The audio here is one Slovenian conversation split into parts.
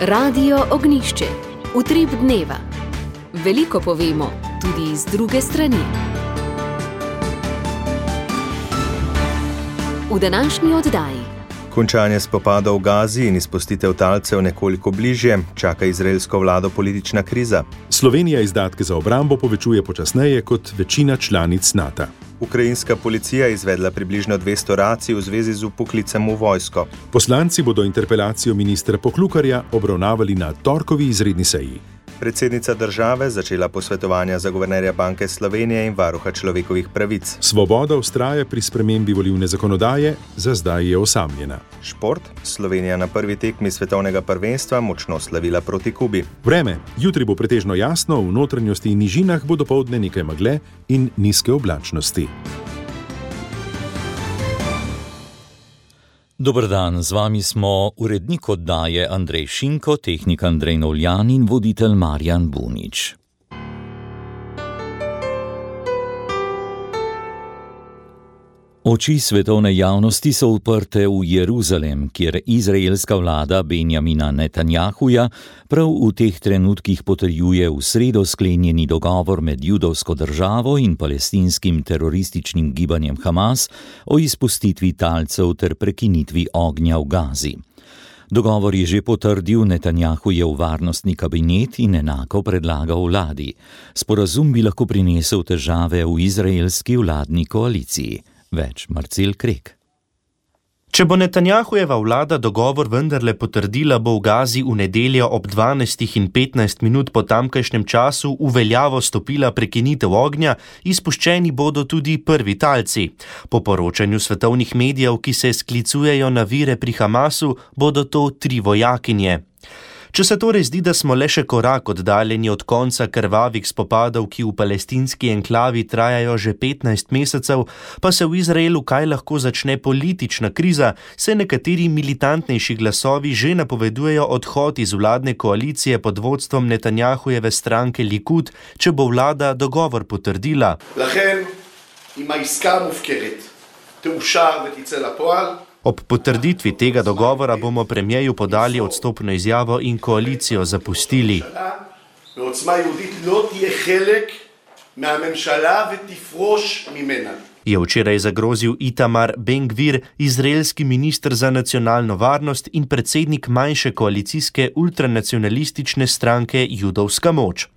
Radio Ognjišče. Utrip dneva. Veliko povemo, tudi iz druge strani. V današnji oddaji. Končanje spopada v Gazi in izpustitev talcev nekoliko bližje, čaka izraelsko vlado politična kriza. Slovenija izdatke za obrambo povečuje počasneje kot večina članic NATO. Ukrajinska policija je izvedla približno 200 racij v zvezi z vpoklicem v vojsko. Poslanci bodo interpelacijo ministra Poklukarja obravnavali na torkovi izredni seji. Predsednica države začela posvetovanja za guvernerja Banke Slovenije in varuha človekovih pravic. Svoboda vztraja pri spremembi volilne zakonodaje, za zdaj je osamljena. Šport. Slovenija na prvi tekmi svetovnega prvenstva močno slavila proti Kubi. Vreme. Jutri bo pretežno jasno, v notranjosti in nižinah bo dopoldne nekaj megle in nizke oblačnosti. Dober dan, z vami smo urednik oddaje Andrej Šinko, tehnik Andrej Novljan in voditelj Marjan Bunič. Oči svetovne javnosti so uprte v Jeruzalem, kjer izraelska vlada Benjamina Netanjahuja prav v teh trenutkih potrjuje v sredo sklenjeni dogovor med judovsko državo in palestinskim terorističnim gibanjem Hamas o izpustitvi talcev ter prekinitvi ognja v Gazi. Dogovor je že potrdil Netanjahujev varnostni kabinet in enako predlagal vladi. Sporazum bi lahko prinesel težave v izraelski vladni koaliciji. Več Marcel Krek. Če bo Netanjahujeva vlada dogovor vendarle potrdila, bo v Gazi v nedeljo ob 12:15 po tamkajšnjem času v veljavo stopila prekinitev ognja, izpuščeni bodo tudi prvi talci. Po poročanju svetovnih medijev, ki se sklicujejo na vire pri Hamasu, bodo to 3 vojakinje. Če se torej zdi, da smo le še korak oddaljeni od konca krvavih spopadov, ki v palestinski enklavi trajajo že 15 mesecev, pa se v Izraelu kaj lahko začne politična kriza, se nekateri militantnejši glasovi že napovedujejo odhod iz vladne koalicije pod vodstvom Netanjahujeve stranke Likud, če bo vlada dogovor potrdila. לכן, אם העסקה מופקרת, תאושר ותצא לפועל, Ob potrditvi tega dogovora bomo premierju podali odstopno izjavo in koalicijo zapustili. ועוצמה יהודית לא תהיה חלק מהממשלה ותפרוש ממנה. Je včeraj zagrozil Itamar Ben-Gvir, izraelski minister za nacionalno varnost in predsednik manjše koalicijske ultranacionalistične stranke Judovska moč.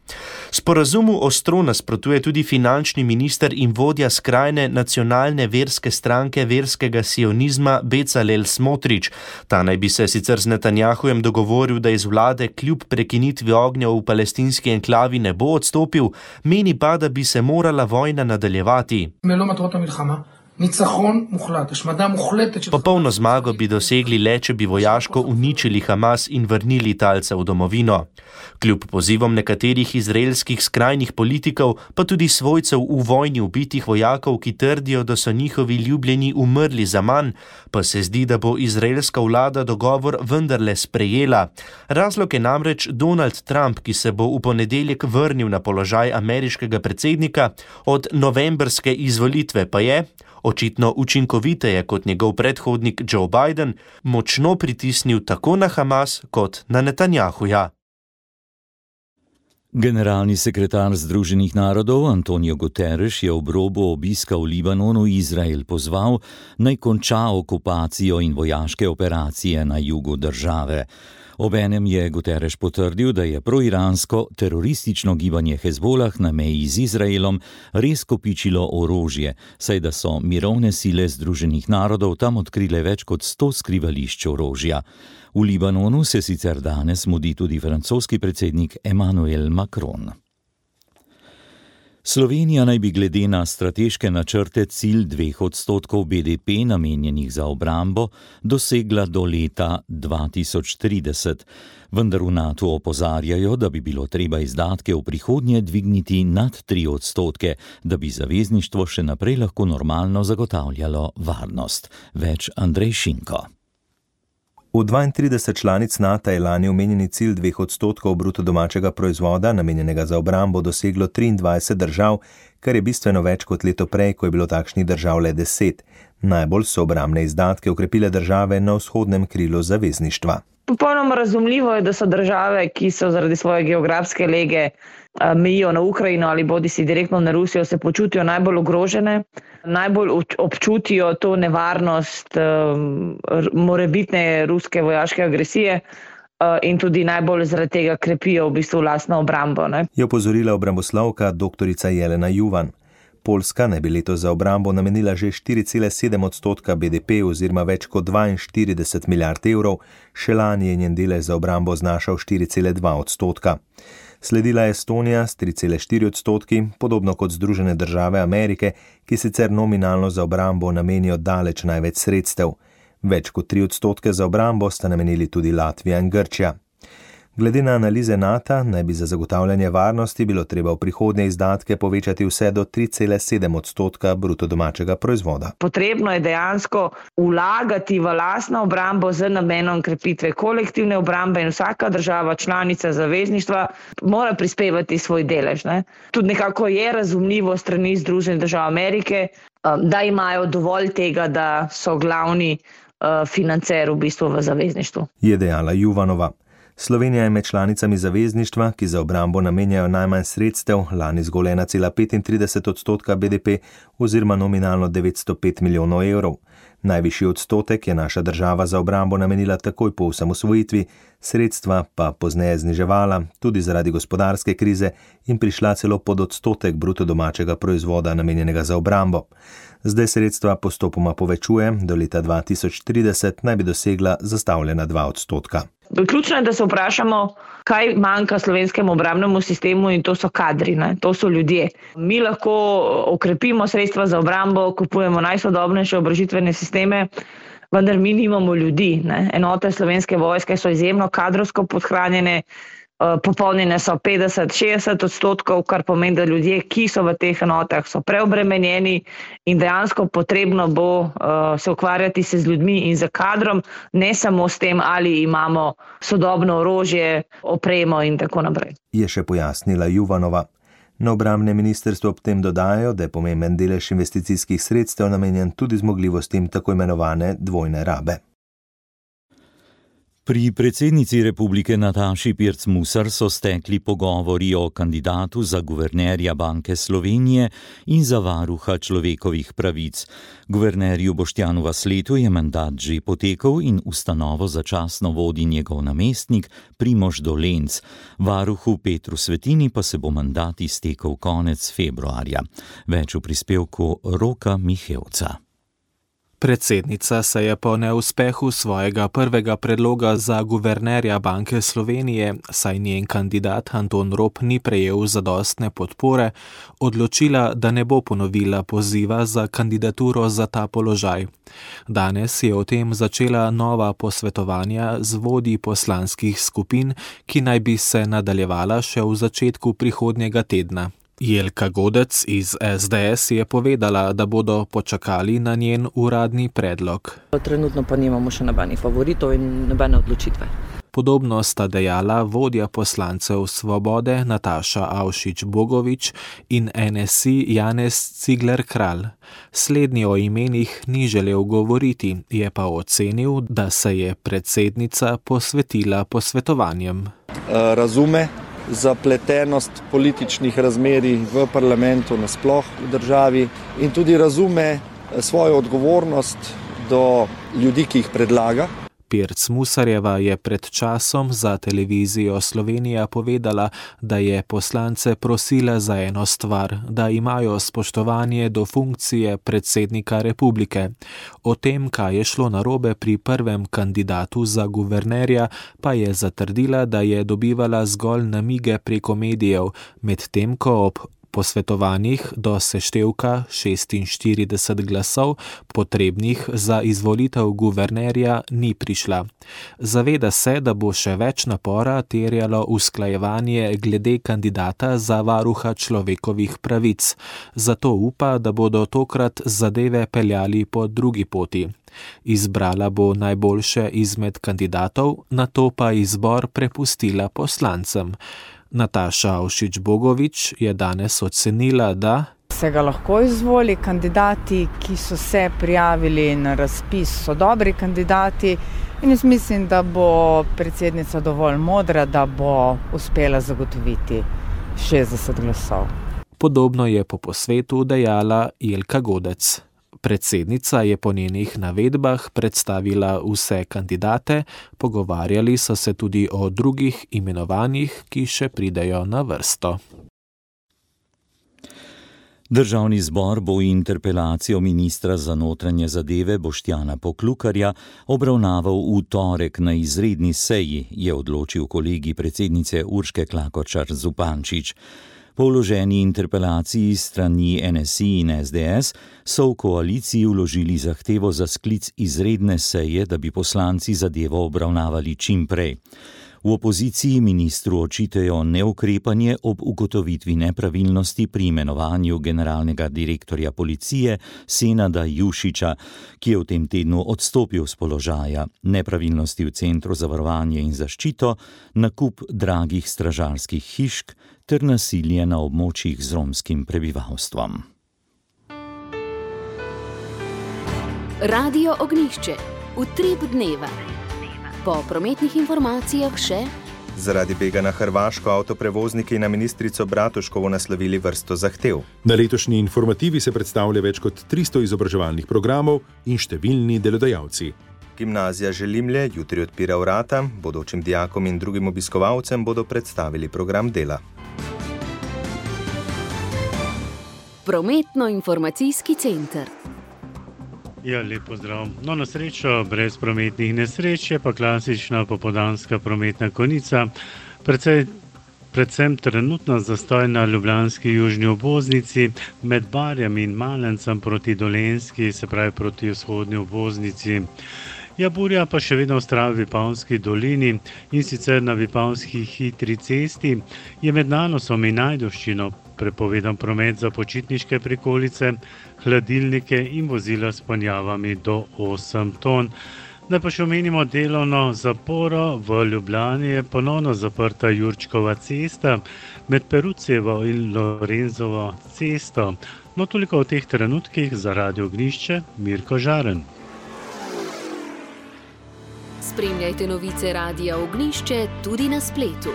Sporazumu ostro nasprotuje tudi finančni minister in vodja skrajne nacionalne verske stranke verskega sionizma Becalel Smotrič. Ta naj bi se sicer z Netanjahujem dogovoril, da iz vlade kljub prekinitvi ognja v palestinski enklavi ne bo odstopil, meni pa, da bi se morala vojna nadaljevati. Popolno zmago bi dosegli le, če bi vojaško uničili Hamas in vrnili talce v domovino. Kljub pozivom nekaterih izraelskih skrajnih politikov, pa tudi svojcev v vojni ubitih vojakov, ki trdijo, da so njihovi ljubljeni umrli zaman, pa se zdi, da bo izraelska vlada dogovor vendarle sprejela. Razlog je namreč Donald Trump, ki se bo v ponedeljek vrnil na položaj ameriškega predsednika, od novembrske izvolitve pa je, očitno učinkoviteje kot njegov predhodnik Joe Biden, močno pritisnil tako na Hamas kot na Netanjahuja. Generalni sekretar Združenih narodov Antonio Guterres je ob robu obiska v Libanonu Izrael pozval, naj konča okupacijo in vojaške operacije na jugu države. Obenem je Guterres potrdil, da je proiransko teroristično gibanje Hezbolah na meji z Izraelom res kopičilo orožje, saj da so mirovne sile Združenih narodov tam odkrile več kot 100 skrivališč orožja. V Libanonu se sicer danes mudi tudi francoski predsednik Emmanuel Macron. Slovenija naj bi glede na strateške načrte cilj 2% BDP namenjenih za obrambo dosegla do leta 2030. Vendar v NATO opozarjajo, da bi bilo treba izdatke v prihodnje dvigniti nad 3%, da bi zavezništvo še naprej lahko normalno zagotavljalo varnost. Več Andrej Šinko. V 32 članic NATO je lani omenjeni cilj 2% bruto domačega proizvoda, namenjenega za obrambo, doseglo 23 držav, kar je bistveno več kot leto prej, ko je bilo takšnih držav le 10. Najbolj so obrambne izdatke okrepile države na vzhodnem krilu zavezništva. Popolnoma razumljivo je, da so države, ki so zaradi svoje geografske lege mejijo na Ukrajino ali bodisi direktno na Rusijo, se počutijo najbolj ogrožene, najbolj občutijo to nevarnost morebitne ruske vojaške agresije in tudi najbolj zaradi tega krepijo v bistvu lastno obrambo. Je opozorila obramboslovka dr. Jelena Juvan. Poljska naj bi letos za obrambo namenila že 4,7% BDP oziroma več kot 42 milijard evrov, še lani je njen delež za obrambo znašal 4,2%. Sledila je Estonija s 3,4%, podobno kot Združene države Amerike, ki sicer nominalno za obrambo namenijo daleč največ sredstev. Več kot 3% za obrambo sta namenili tudi Latvija in Grčija. Glede na analize NATO naj bi za zagotavljanje varnosti bilo treba v prihodnje izdatke povečati vse do 3,7% bruto domačega proizvoda. Potrebno je dejansko vlagati v lastno obrambo z namenom krepitve kolektivne obrambe in vsaka država članica zavezništva mora prispevati svoj delež. Tudi nekako je razumljivo strani Združenih držav Amerike, da imajo dovolj tega, da so glavni financer v bistvu v zavezništvu. Je dejala Juvanova. Slovenija je med članicami zavezništva, ki za obrambo namenjajo najmanj sredstev, lani zgolj 1,35% BDP oziroma nominalno 905 milijonov evrov. Najvišji odstotek je naša država za obrambo namenila takoj po osamosvojitvi, sredstva pa pozneje zniževala, tudi zaradi gospodarske krize in prišla celo pod odstotek bruto domačega proizvoda namenjenega za obrambo. Zdaj sredstva postopoma povečuje, do leta 2030 naj bi dosegla zastavljena 2%. Ključno je, da se vprašamo, kaj manjka slovenskemu obrambnemu sistemu in to so kadri, to so ljudje. Mi lahko okrepimo sredstva za obrambo, kupujemo najsodobnejše oborožitvene sisteme, vendar mi nimamo ljudi. Enote Slovenske vojske so izjemno kadrovsko podhranjene, popolnjene so 50-60%, kar pomeni, da ljudje, ki so v teh enotah, so preobremenjeni in dejansko potrebno bo se ukvarjati se z ljudmi in z kadrom, ne samo s tem, ali imamo sodobno orožje, opremo in tako naprej. Je še pojasnila Juvanova. Na obrambnem ministrstvu ob tem dodajajo, da je pomemben delež investicijskih sredstev namenjen tudi zmogljivostim tako imenovane dvojne rabe. Pri predsednici republike Nataši Pirc Musar so stekli pogovori o kandidatu za guvernerja Banke Slovenije in za varuha človekovih pravic. Guvernerju Boštjanu Vasletu je mandat že potekel in ustanovo začasno vodi njegov namestnik Primož Dolenc. Varuhu Petru Svetini pa se bo mandat iztekel konec februarja. Več v prispevku Roka Mihevca. Predsednica se je po neuspehu svojega prvega predloga za guvernerja Banke Slovenije, saj njen kandidat Anton Rop ni prejel zadostne podpore, odločila, da ne bo ponovila poziva za kandidaturo za ta položaj. Danes je o tem začela nova posvetovanja z vodji poslanskih skupin, ki naj bi se nadaljevala še v začetku prihodnjega tedna. Jelka Godec iz SDS je povedala, da bodo počakali na njen uradni predlog. Trenutno pa nimamo še nobenih favoritov in nobene odločitve. Podobno sta dejala vodja poslancev Svobode Nataša Avšič Bogovič in NSI Janez Cigler Kralj. Slednji o imenih ni želel govoriti, je pa ocenil, da se je predsednica posvetila posvetovanjem. Razume zapletenost političnih razmerij v parlamentu nasploh v državi in tudi razume svojo odgovornost do ljudi, ki jih predlaga. Pirc Musarjeva je pred časom za televizijo Slovenija povedala, da je poslance prosila za eno stvar, da imajo spoštovanje do funkcije predsednika republike. O tem, kaj je šlo narobe pri prvem kandidatu za guvernerja, pa je zatrdila, da je dobivala zgolj namige preko medijev, medtem ko ob posvetovanjih do seštevka 46 glasov, potrebnih za izvolitev guvernerja, ni prišla. Zaveda se, da bo še več napora terjalo usklajevanje glede kandidata za varuha človekovih pravic. Zato upa, da bodo tokrat zadeve peljali po drugi poti. Izbrala bo najboljše izmed kandidatov, nato pa izbor prepustila poslancem. Nataša Avšič Bogovič je danes ocenila, da se ga lahko izvoli. Kandidati, ki so se prijavili na razpis, so dobri kandidati in jaz mislim, da bo predsednica dovolj modra, da bo uspela zagotoviti 60 glasov. Podobno je po posvetu dejala Jelka Godec. Predsednica je po njenih navedbah predstavila vse kandidate, pogovarjali so se tudi o drugih imenovanjih, ki še pridejo na vrsto. Državni zbor bo interpelacijo ministra za notranje zadeve Boštjana Poklukarja obravnaval v torek na izredni seji, je odločil kolegij predsednice Urške Klakočar Zupančič. Po vloženi interpelaciji strani NSI in SDS so v koaliciji vložili zahtevo za sklic izredne seje, da bi poslanci zadevo obravnavali čim prej. V opoziciji ministru očitajo neukrepanje ob ugotovitvi nepravilnosti pri imenovanju generalnega direktorja policije Senada Jušiča, ki je v tem tednu odstopil z položaja, nepravilnosti v Centru za varovanje in zaščito, nakup dragih stražarskih hišk ter nasilje na območjih z romskim prebivalstvom. Radio Ognjišče. Utrip dneva. Po prometnih informacijah še: zaradi bega na Hrvaško avtoprevozniki na ministrico Bratuškovo naslovili vrsto zahtev. Na letošnji informativi se predstavlja več kot 300 izobraževalnih programov in številni delodajalci. Gimnazija Želimlje jutri odpira vrata, bodočim dijakom in drugim obiskovalcem bodo predstavili program dela. Prometno-informacijski center. Ja, lep pozdrav. No, na srečo brez prometnih nesreč je pa klasična popoldanska prometna konica, predvsem trenutno zastoj na ljubljanski južni obvoznici med Barjem in Malencem proti Dolenjski, se pravi proti vzhodni obvoznici. Ja, burja pa še vedno vztraja v Vipavski dolini in sicer na Vipavski hitri cesti je med Nanosom in Ajdovščino prepovedan promet za počitniške prikolice, hladilnike in vozila s ponjavami do 8 ton. Da pa še omenimo delovno zaporo, v Ljubljani je ponovno zaprta Jurčkova cesta med Perucevo in Lorenzovo cesto. No, toliko v teh trenutkih za Radio Ognjišče, Mirko Žaren. Spremljajte novice Radia Ognjišče tudi na spletu.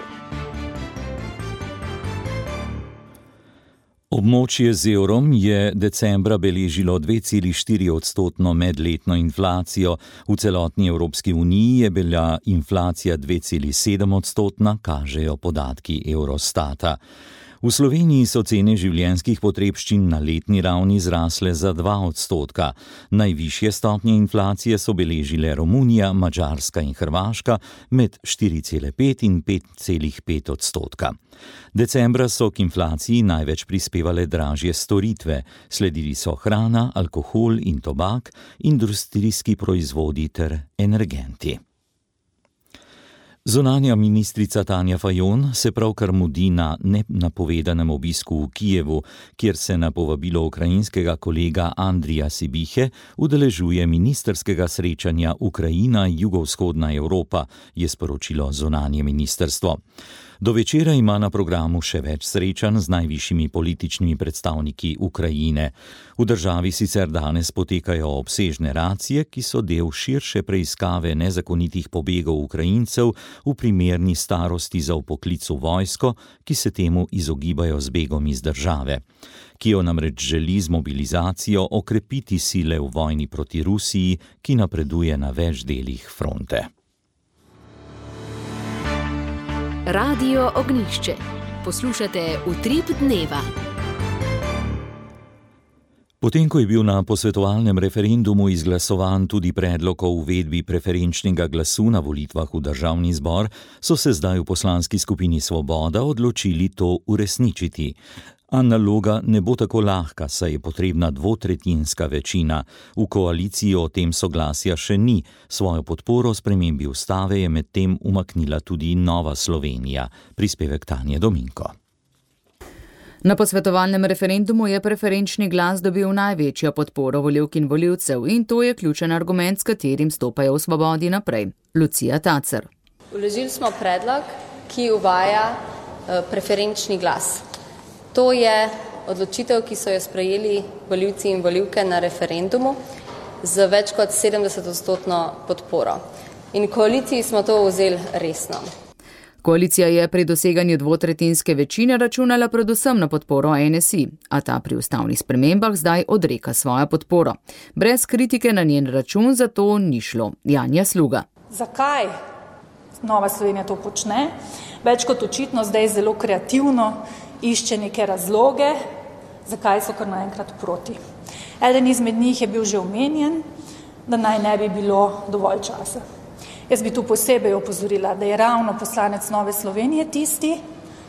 Območje z evrom je decembra beležilo 2,4% medletno inflacijo. V celotni Evropski uniji je bila inflacija 2,7%, kažejo podatki Eurostata. V Sloveniji so cene življenjskih potrebščin na letni ravni zrasle za 2%. Najvišje stopnje inflacije so beležile Romunija, Madžarska in Hrvaška med 4,5 in 5,5%. Decembra so k inflaciji največ prispevale dražje storitve, sledili so hrana, alkohol in tobak, industrijski proizvodi ter energenti. Zunanja ministrica Tanja Fajon se pravkar mudi na nenapovedanem obisku v Kijevu, kjer se na povabilo ukrajinskega kolega Andrija Sibihe udeležuje ministrskega srečanja Ukrajina-Jugovzhodna Evropa, je sporočilo zunanje ministrstvo. Do večera ima na programu še več srečanj z najvišjimi političnimi predstavniki Ukrajine. V državi sicer danes potekajo obsežne racije, ki so del širše preiskave nezakonitih pobegov Ukrajincev v primerni starosti za vpoklic v vojsko, ki se temu izogibajo z begom iz države. Kijev namreč želi z mobilizacijo okrepiti sile v vojni proti Rusiji, ki napreduje na več delih fronte. Radio Ognjišče. Poslušate Utrip dneva. Potem, ko je bil na posvetovalnem referendumu izglasovan tudi predlog o uvedbi preferenčnega glasu na volitvah v državni zbor, so se zdaj v poslanski skupini Svoboda odločili to uresničiti. A naloga ne bo tako lahka, saj je potrebna dvotretjinska večina. V koaliciji o tem soglasja še ni. Svojo podporo spremembi ustave je medtem umaknila tudi Nova Slovenija. Prispevek Tanje Dominko. Na posvetovalnem referendumu je preferenčni glas dobil največjo podporo volivk in volivcev in to je ključen argument, s katerim stopajo v Svobodi naprej. Lucija Tacer. Vložili smo predlog, ki uvaja preferenčni glas. To je odločitev, ki so jo sprejeli volivci in volivke na referendumu z več kot 70% podporo. In koaliciji smo to vzeli resno. Koalicija je pri doseganju dvotretjinske večine računala predvsem na podporo NSI, a ta pri ustavnih spremembah zdaj odreka svojo podporo. Brez kritike na njen račun zato ni šlo. Janja Sluga. Zakaj Nova Slovenija to počne? Več kot očitno zdaj zelo kreativno išče neke razloge, zakaj so kar naenkrat proti. Eden izmed njih je bil že omenjen, da naj ne bi bilo dovolj časa. Jaz bi tu posebej opozorila, da je ravno poslanec Nove Slovenije tisti,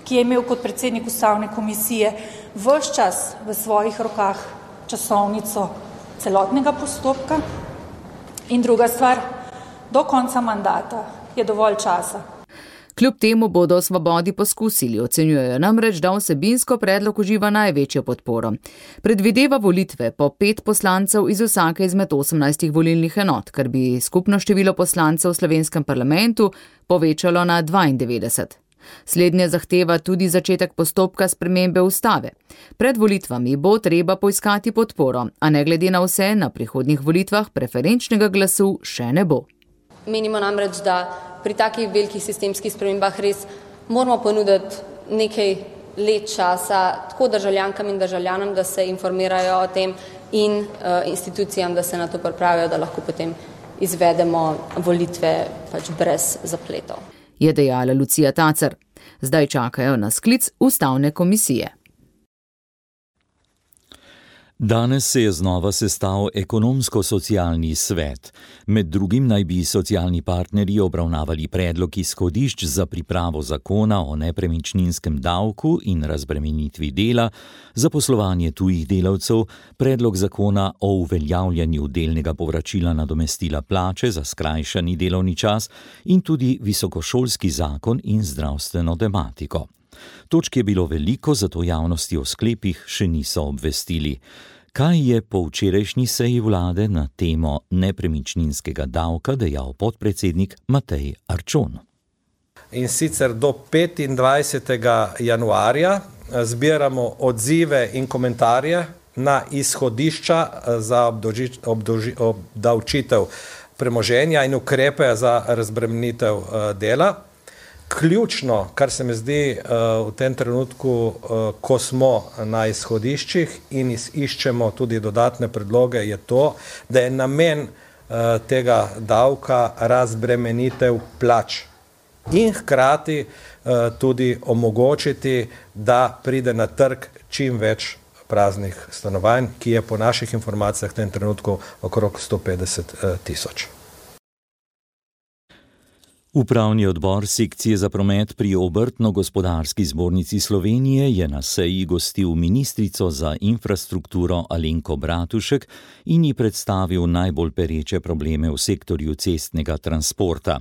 ki je imel kot predsednik ustavne komisije ves čas v svojih rokah časovnico celotnega postopka. In druga stvar, do konca mandata je dovolj časa. Kljub temu bodo v Svobodi poskusili, ocenjujejo namreč, da vsebinsko predlog uživa največjo podporo. Predvideva volitve po 5 poslancev iz vsake izmed 18 volilnih enot, kar bi skupno število poslancev v slovenskem parlamentu povečalo na 92. Slednje zahteva tudi začetek postopka spremembe ustave. Pred volitvami bo treba poiskati podporo, a ne glede na vse, na prihodnjih volitvah preferenčnega glasu še ne bo. Menimo namreč, da pri takih velikih sistemskih spremembah res moramo ponuditi nekaj let časa tako državljankam in državljanom, da se informirajo o tem in institucijam, da se na to pripravijo, da lahko potem izvedemo volitve brez zapletov. Je dejala Lucija Tacer. Zdaj čakajo na sklic ustavne komisije. Danes se je znova sestal ekonomsko-socialni svet. Med drugim naj bi socialni partnerji obravnavali predlog izhodišč za pripravo zakona o nepremičninskem davku in razbremenitvi dela, zaposlovanje tujih delavcev, predlog zakona o uveljavljanju delnega povračila nadomestila plače za skrajšani delovni čas in tudi visokošolski zakon in zdravstveno tematiko. Točk je bilo veliko, zato javnosti o sklepih še niso obvestili. Kaj je po včerajšnji seji vlade na temo nepremičninskega davka dejal podpredsednik Matej Arčon? In sicer do 25. januarja zbiramo odzive in komentarje na izhodišča za obdavčitev premoženja in ukrepe za razbremenitev dela. Ključno, kar se mi zdi v tem trenutku, ko smo na izhodiščih in iščemo tudi dodatne predloge, je to, da je namen tega davka razbremenitev plač in hkrati tudi omogočiti, da pride na trg čim več praznih stanovanj, ki je po naših informacijah v tem trenutku okrog 150 000. Upravni odbor sekcije za promet pri Obrtno-gospodarski zbornici Slovenije je na seji gostil ministrico za infrastrukturo Alenko Bratušek in ji predstavil najbolj pereče probleme v sektorju cestnega transporta.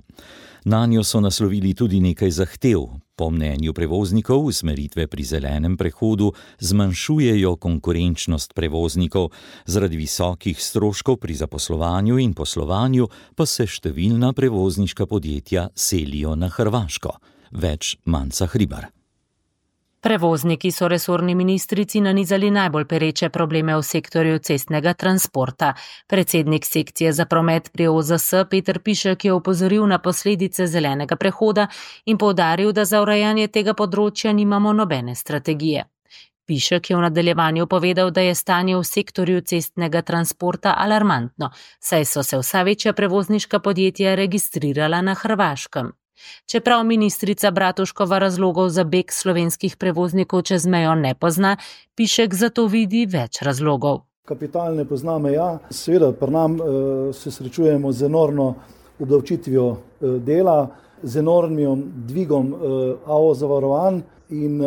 Nanjo so naslovili tudi nekaj zahtev. Po mnenju prevoznikov usmeritve pri zelenem prehodu zmanjšujejo konkurenčnost prevoznikov, zaradi visokih stroškov pri zaposlovanju in poslovanju pa se številna prevozniška podjetja selijo na Hrvaško. Več Manca Hribar. Prevozniki so resorni ministrici nanizali najbolj pereče probleme v sektorju cestnega transporta. Predsednik sekcije za promet pri OZS Peter Pišek je opozoril na posledice zelenega prehoda in poudaril, da za urejanje tega področja nimamo nobene strategije. Pišek je v nadaljevanju povedal, da je stanje v sektorju cestnega transporta alarmantno, saj so se vsa večja prevozniška podjetja registrirala na Hrvaškem. Čeprav ministrica Bratuškova razlogov za beg slovenskih prevoznikov čez mejo ne pozna, Pišek zato vidi več razlogov. Kapital ne pozna meja, seveda pri nam se srečujemo z enormno obdavčitvijo dela, z enormnim dvigom AO zavarovanj in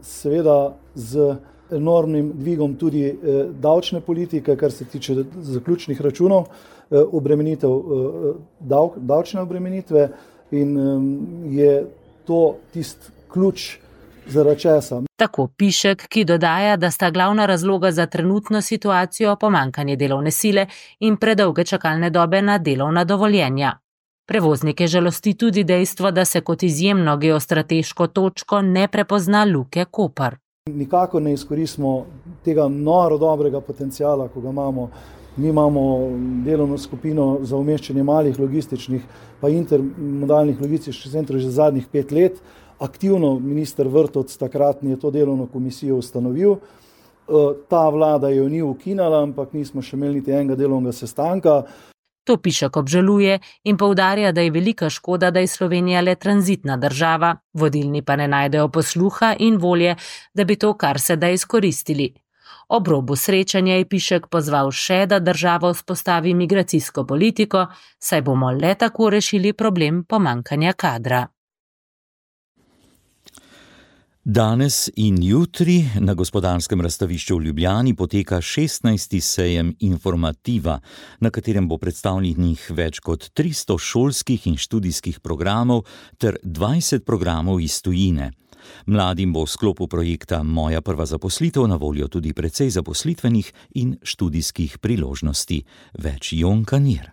seveda z enormnim dvigom tudi davčne politike, kar se tiče zaključnih računov, davčne obremenitve. In je to tisti ključ zaradi česa. Tako Pišek, ki dodaja, da sta glavna razloga za trenutno situacijo pomanjkanje delovne sile in predolge čakalne dobe na delovna dovoljenja. Prevoznike žalosti tudi dejstvo, da se kot izjemno geostrateško točko ne prepozna Luke Koper. Nikako ne izkoristimo tega noro dobrega potencijala, ko ga imamo. Mi imamo delovno skupino za umeščanje malih logističnih pa intermodalnih logističnih centrov že zadnjih 5 let. Aktivno minister Vrtovec takratni je to delovno komisijo ustanovil. Ta vlada jo ni ukinala, ampak nismo še imeli niti enega delovnega sestanka. To Pišek obžaluje in poudarja, da je velika škoda, da je Slovenija le tranzitna država, vodilni pa ne najdejo posluha in volje, da bi to kar se da izkoristili. Ob robu srečanja je Pišek pozval še, da država vzpostavi migracijsko politiko, saj bomo le tako rešili problem pomanjkanja kadra. Danes in jutri na Gospodarskem razstavišču v Ljubljani poteka 16. sejem Informativa, na katerem bo predstavljenih več kot 300 šolskih in študijskih programov ter 20 programov iz tujine. Mladim bo v sklopu projekta Moja prva zaposlitev na voljo tudi precej zaposlitvenih in študijskih priložnosti. Več Jon Kanir.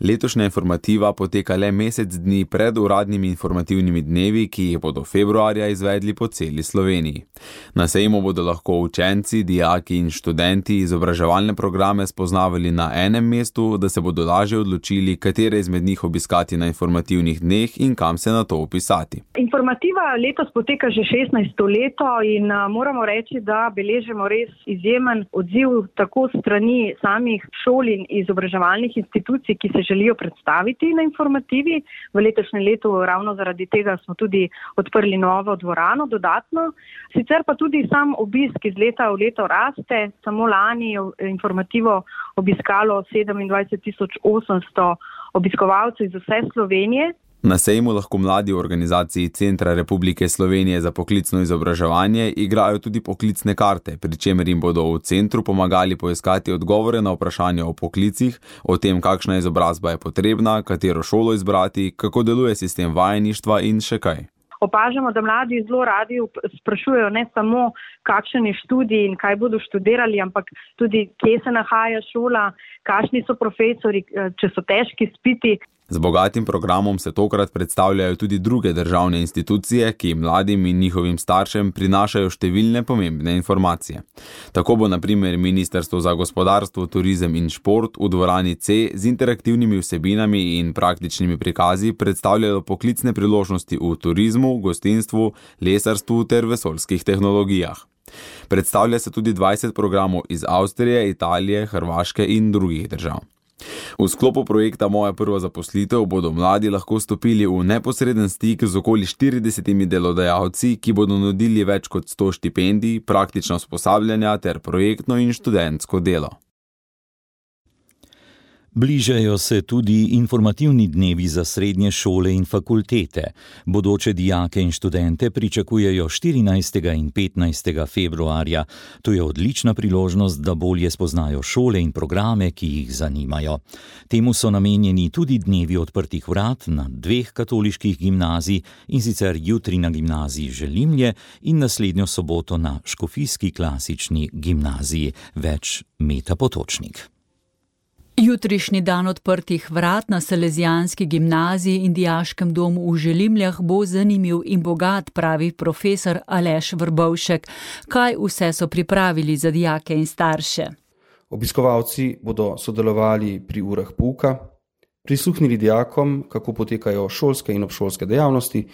Letošnja informativa poteka le mesec dni pred uradnimi informativnimi dnevi, ki jih bodo februarja izvedli po celi Sloveniji. Na sejmu bodo lahko učenci, dijaki in študenti izobraževalne programe spoznavali na enem mestu, da se bodo lažje odločili, katere izmed njih obiskati na informativnih dneh in kam se na to upisati. Informativa letos poteka že 16. leto in moramo reči, da beležimo res izjemen odziv tako strani samih šol in izobraževalnih institucij, ki se želijo predstaviti na informativi. V letošnjem letu ravno zaradi tega smo tudi odprli novo dvorano dodatno. Sicer pa tudi sam obisk iz leta v leto raste. Samo lani je informativo obiskalo 27.800 obiskovalcev iz vse Slovenije. Na sejmu lahko mladi v organizaciji Centra Republike Slovenije za poklicno izobraževanje igrajo tudi poklicne karte, pri čemer jim bodo v centru pomagali poiskati odgovore na vprašanja o poklicih, o tem, kakšna izobrazba je potrebna, katero šolo izbrati, kako deluje sistem vajeništva in še kaj. Opažamo, da mladi zelo radi sprašujejo ne samo, kakšen je študij in kaj bodo študirali, ampak tudi, kje se nahaja šola, kakšni so profesori, če so težki izpiti. Z bogatim programom se tokrat predstavljajo tudi druge državne institucije, ki mladim in njihovim staršem prinašajo številne pomembne informacije. Tako bo na primer Ministrstvo za gospodarstvo, turizem in šport v dvorani C z interaktivnimi vsebinami in praktičnimi prikazi predstavljalo poklicne priložnosti v turizmu, gostinstvu, lesarstvu ter vesoljskih tehnologijah. Predstavlja se tudi 20 programov iz Avstrije, Italije, Hrvaške in drugih držav. V sklopu projekta Moja prva zaposlitev bodo mladi lahko stopili v neposreden stik z okoli 40 delodajalci, ki bodo nudili več kot 100 štipendij, praktična usposabljanja ter projektno in študentsko delo. Bližajo se tudi informativni dnevi za srednje šole in fakultete. Bodoče dijake in študente pričakujejo 14. in 15. februarja. To je odlična priložnost, da bolje spoznajo šole in programe, ki jih zanimajo. Temu so namenjeni tudi dnevi odprtih vrat na 2 katoliških gimnazij, in sicer jutri na gimnaziji Želimlje in naslednjo soboto na Škofijski klasični gimnaziji. Več Meta Potočnik. Jutrišnji dan odprtih vrat na Salezijanski gimnaziji in dijaškem domu v Želimljah bo zanimiv in bogat, pravi profesor Aleš Vrbovšek. Kaj vse so pripravili za dijake in starše? Obiskovalci bodo sodelovali pri urah pouka, prisluhnili dijakom, kako potekajo šolske in obšolske dejavnosti,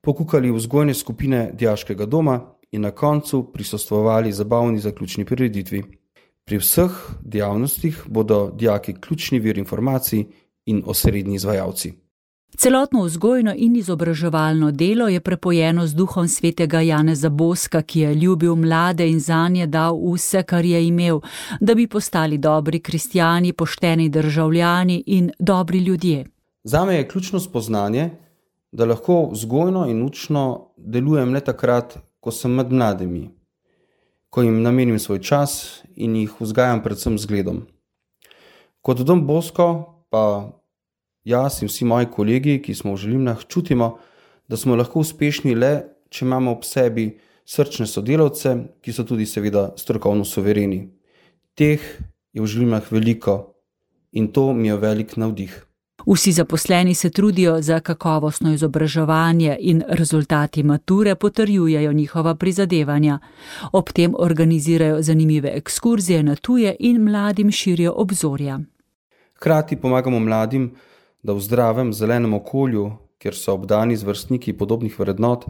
pokukali vzgojne skupine dijaškega doma in na koncu prisostvovali zabavni zaključni prireditvi. Pri vseh dejavnostih bodo dijaki ključni vir informacij in osrednji izvajalci. Celotno vzgojno in izobraževalno delo je prepojeno z duhom svetega Janeza Boska, ki je ljubil mlade in zanje dal vse, kar je imel, da bi postali dobri kristjani, pošteni državljani in dobri ljudje. Zame je ključno spoznanje, da lahko vzgojno in učno delujem le takrat, ko sem med mladimi, ko jim namenim svoj čas in jih vzgajam predvsem zgledom. Kot dom Bosko pa jaz in vsi moji kolegi, ki smo v Želimljah, čutimo, da smo lahko uspešni le, če imamo ob sebi srčne sodelavce, ki so tudi seveda strokovno suvereni. Teh je v Želimljah veliko in to mi je velik navdih. Vsi zaposleni se trudijo za kakovostno izobraževanje in rezultati mature potrjujejo njihova prizadevanja. Ob tem organizirajo zanimive ekskurzije na tuje in mladim širijo obzorja. Hkrati pomagamo mladim, da v zdravem, zelenem okolju, kjer so obdani z vrstniki podobnih vrednot,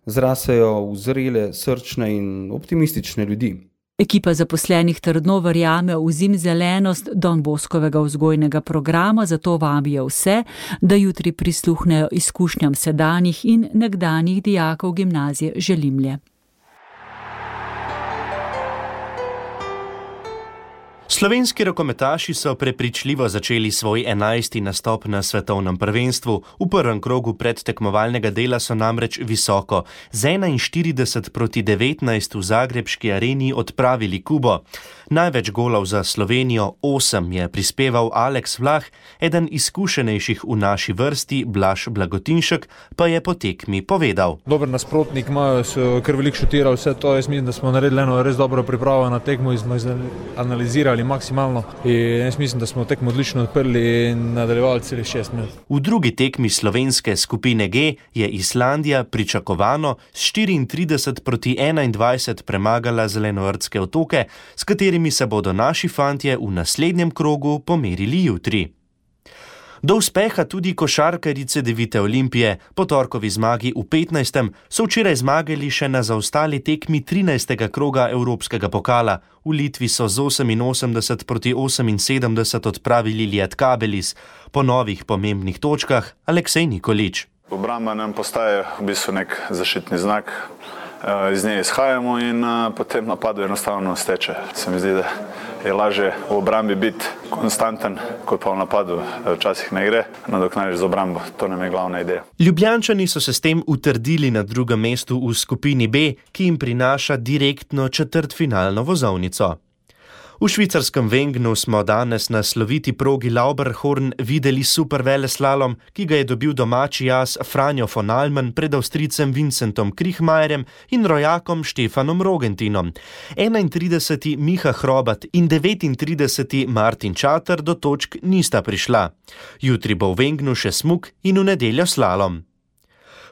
zrasejo v zrele, srčne in optimistične ljudi. Ekipa zaposlenih trdno verjame v zimzelenost Don Boskovega vzgojnega programa, zato vabijo vse, da jutri prisluhnejo izkušnjam sedanjih in nekdanjih dijakov gimnazije Želimlje. Slovenski rokometaši so prepričljivo začeli svoj 11. nastop na svetovnem prvenstvu. V prvem krogu predtekmovalnega dela so namreč visoko z 41-19 v zagrebški areni odpravili Kubo. Največ golov za Slovenijo, 8, je prispeval Aleks Vlah, eden izkušenejših v naši vrsti, Blaž Blagotinšek, pa je po tekmi povedal. Dober nasprotnik, imajo kar veliko šutiral vse to. Jaz mislim, da smo naredili eno res dobro pripravo na tekmo in smo analizirali maksimalno. In jaz mislim, da smo tekmo odlično odprli in nadaljevali celih 6 minut. V drugi tekmi slovenske skupine G je Islandija pričakovano s 34-21 premagala Zelenovrtske otoke, s katerimi se bodo naši fantje v naslednjem krogu pomerili jutri. Do uspeha tudi košarkarice Devite Olimpije. Po torkovi zmagi v 15. so včeraj zmagali še na zaostali tekmi 13. kroga Evropskega pokala. V Litvi so z 88-78 odpravili Lietkabelis. Po novih pomembnih točkah Aleksej Nikolić. Obramba nam postaje v bistvu nek zaščitni znak. Iz nje izhajamo in potem napadu enostavno steče. Se mi zdi, da je lažje v obrambi biti konstanten, kot pa v napadu včasih ne gre. Nadoknadiš z obrambo, to nam je glavna ideja. Ljubljančani so se s tem utrdili na drugem mestu v skupini B, ki jim prinaša direktno četrtfinalno vozovnico. V švicarskem Wengnu smo danes na sloviti progi Lauberhorn videli super veleslalom, ki ga je dobil domači jaz Franjo von Almen pred Avstrijcem Vincentom Krichmajerjem in rojakom Štefanom Rogentinom. 31. Miha Hrobat in 39. Martin Čater do točk nista prišla. Jutri bo v Wengnu še smuk in v nedeljo slalom.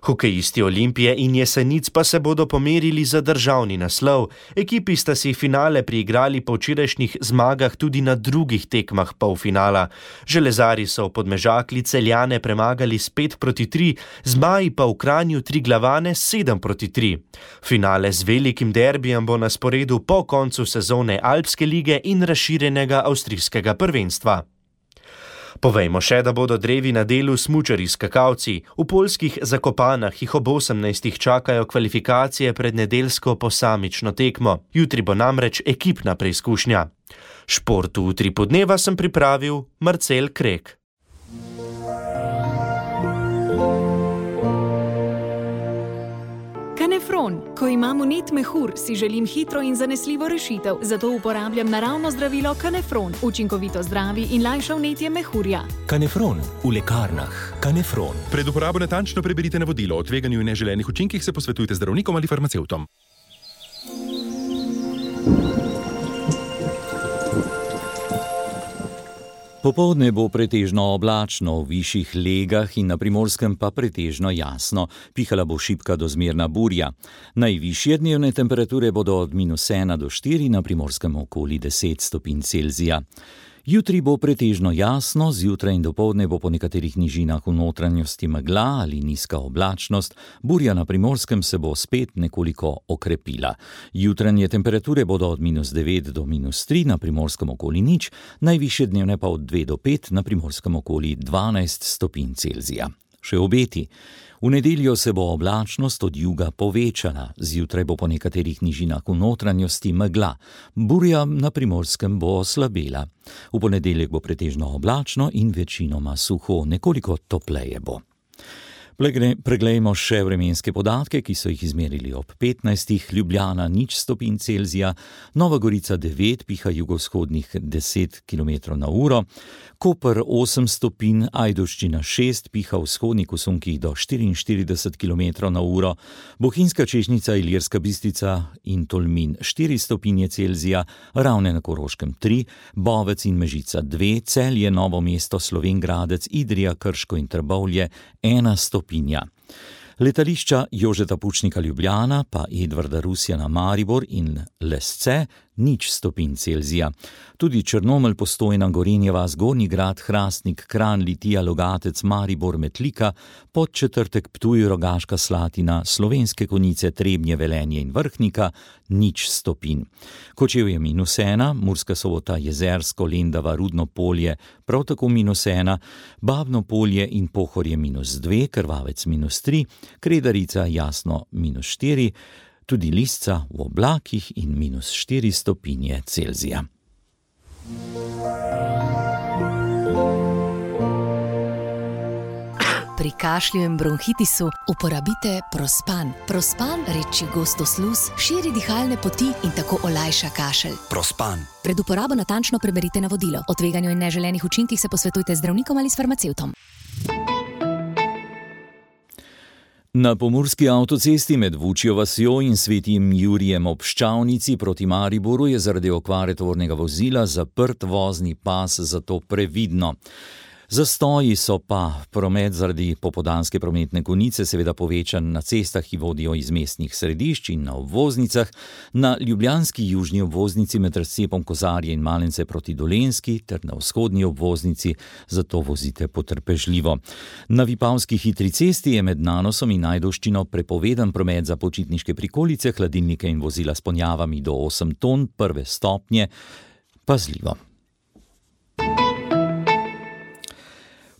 Hokejisti Olimpije in Jesenic pa se bodo pomerili za državni naslov. Ekipi sta si finale priigrali po včerajšnjih zmagah tudi na drugih tekmah polfinala. Železari so v Podmežakli Celjane premagali s 5-3, Zmaji pa v Kranju Triglavane 7-3. Finale z velikim derbijem bo na sporedu po koncu sezone Alpske lige in razširjenega avstrijskega prvenstva. Povejmo še, da bodo drevi na delu smučarji skakalci. V poljskih Zakopanah jih ob 18. čakajo kvalifikacije pred nedeljsko posamično tekmo. Jutri bo namreč ekipna preizkušnja. Šport v Utripu dneva sem pripravil Marcel Krek. Kanefron. Ko imam vnet mehur, si želim hitro in zanesljivo rešitev, zato uporabljam naravno zdravilo Kanefron. Učinkovito zdravi in lajša vnetje mehurja. Kanefron v lekarnah. Kanefron. Pred uporabo natančno preberite navodilo. O tveganju in neželenih učinkih se posvetujte z zdravnikom ali farmacevtom. Popoldne bo pretežno oblačno, v višjih legah in na Primorskem pa pretežno jasno. Pihala bo šibka do zmerna burja. Najvišje dnevne temperature bodo od -1 do 4, na Primorskem okoli 10 stopinj Celzija. Jutri bo pretežno jasno, zjutraj in dopoldne bo po nekaterih nižinah v notranjosti megla ali nizka oblačnost, burja na Primorskem se bo spet nekoliko okrepila. Jutranje temperature bodo od -9 do -3, na Primorskem okoli 0, najvišje dnevne pa od 2 do 5, na Primorskem okoli 12 stopinj Celzija. Še obeti. V nedeljo se bo oblačnost od juga povečala, zjutraj bo po nekaterih nižinah v notranjosti megla, burja na Primorskem bo oslabela. V ponedeljek bo pretežno oblačno in večinoma suho, nekoliko topleje bo. Preglejmo še vremenske podatke, ki so jih izmerili ob 15. Ljubljana 0 stopinj Celzija, Nova Gorica 9, piha jugovzhodnih 10 km/h, Koper 8 stopinj, Ajdovščina 6, piha v vzhodnih usunkih do 44 km/h, Bohinjska Češnjica, Ilirska Bistrica in Tolmin 4 stopinje Celzija, Ravne na Koroškem 3, Bovec in Mežica 2, Celje, Novo mesto, Slovenj Gradec, Idrija, Krško in Trbovlje 1 stopinja. Letališča Jožeta Pučnika Ljubljana pa Edvarda Rusjana Maribor in Lesce 0 stopinj Celzija. Tudi Črnomelj, Postojna, Gorenjeva, Zgornji Grad, Hrastnik, Kranj, Litija, Logatec, Maribor, Metlika, Podčetrtek, Ptuj, Rogaška Slatina, Slovenske Konjice, Trebnje, Velenje in Vrhnika 0 stopinj. Kočevje -1, Murska Sobota, Jezersko, Lendava, Rudno Polje prav tako -1, Babno Polje in Pohorje -2, Krvavec -3, Kredarica, Jasno -4, tudi Lisca v oblakih in -4 stopinje Celzija. Pri kašlju in bronhitisu uporabite Prospan. Prospan reči gosto sluz, širi dihalne poti in tako olajša kašelj. Prospan. Pred uporabo natančno preberite navodilo. O tveganju in neželenih učinkih se posvetujte z zdravnikom ali s farmacevtom. Na pomurski avtocesti med Vučjo vasjo in Svetim Jurijem ob Ščavnici proti Mariboru je zaradi okvare tovornega vozila zaprt vozni pas, zato previdno. Zastoji so pa promet zaradi popoldanske prometne konice seveda povečan na cestah, ki vodijo iz mestnih središč in na obvoznicah, na ljubljanski južni obvoznici med razcepom Kozarje in Malence proti Dolenjski ter na vzhodni obvoznici, zato vozite potrpežljivo. Na Vipavski hitri cesti je med Nanosom in Ajdovščino prepovedan promet za počitniške prikolice, hladilnike in vozila s ponjavami do 8 ton, prve stopnje, pazljivo.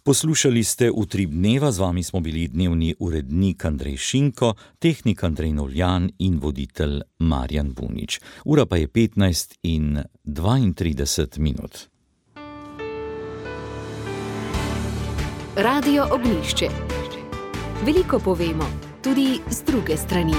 Poslušali ste Utrip dneva, z vami smo bili dnevni urednik Andrej Šinko, tehnik Andrej Novljan in voditelj Marjan Bunič. Ura pa je 15:32. Radio Ognjišče. Veliko povemo, tudi z druge strani.